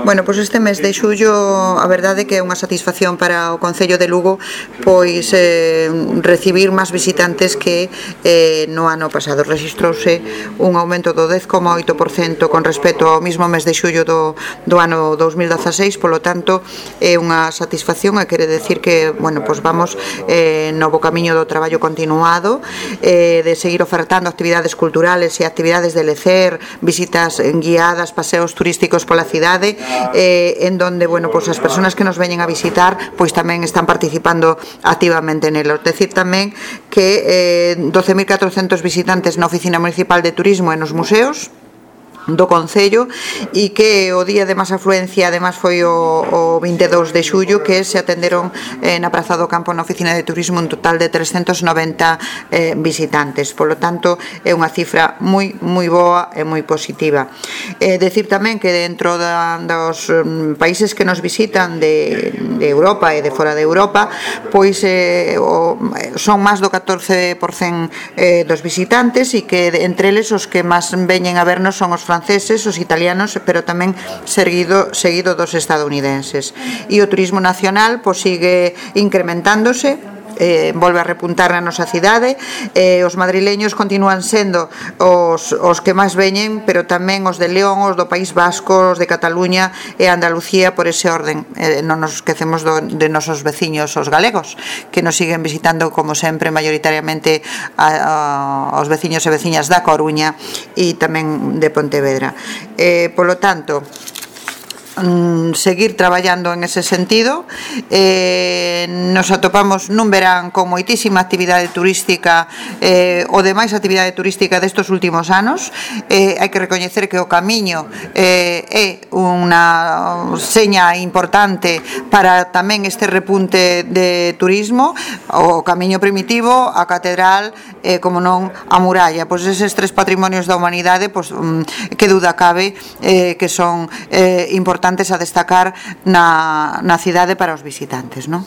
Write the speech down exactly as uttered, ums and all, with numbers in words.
Bueno, pois este mes de xullo a verdade que é unha satisfacción para o Concello de Lugo pois eh, recibir máis visitantes que eh, no ano pasado. Rexistrouse un aumento do dez coma oito por cento con respecto ao mismo mes de xullo do, do ano dous mil dezaseis, polo tanto é unha satisfacción e quere decir que, bueno, pois vamos eh, no bo camiño do traballo continuado, eh, de seguir ofertando actividades culturales e actividades de lecer, visitas guiadas, paseos turísticos pola cidade, eh, en donde, bueno, pues as persoas que nos veñen a visitar pois tamén están participando activamente nelos. Decir tamén que eh, doce mil catrocentos visitantes na Oficina Municipal de Turismo e nos museos do Concello, e que o día de máis afluencia además foi o, o vinte e dous de xullo, que se atenderon eh, na Praza do Campo na Oficina de Turismo un total de trescentos noventa eh, visitantes. Polo tanto, é unha cifra moi moi boa e moi positiva. Eh, decir tamén que dentro da, dos um, países que nos visitan de, de Europa e de fora de Europa, pois eh, o, son máis do catorce por cento eh, dos visitantes, e que entre eles os que máis veñen a vernos son os franceses, os italianos, pero tamén seguido, seguido dos estadounidenses. E o turismo nacional pois sigue incrementándose, eh, volve a repuntar na nosa cidade, eh, os madrileños continúan sendo os, os que máis veñen, pero tamén os de León, os do País Vasco, os de Cataluña e Andalucía por ese orden. Eh, non nos esquecemos do, de nosos veciños, os galegos, que nos siguen visitando como sempre maioritariamente a, a, os veciños e veciñas da Coruña e tamén de Pontevedra. Eh, polo tanto, seguir traballando en ese sentido. Eh, nos atopamos nun verán con moitísima actividade turística, eh, o demais actividade turística destos últimos anos. Eh, hai que recoñecer que o camiño eh, é unha seña importante para tamén este repunte de turismo. O camiño primitivo, a catedral, eh, como non a muralla, pois eses tres patrimonios da humanidade, pois que duda cabe eh, que son eh, importantes a destacar na, na cidade para os visitantes, non?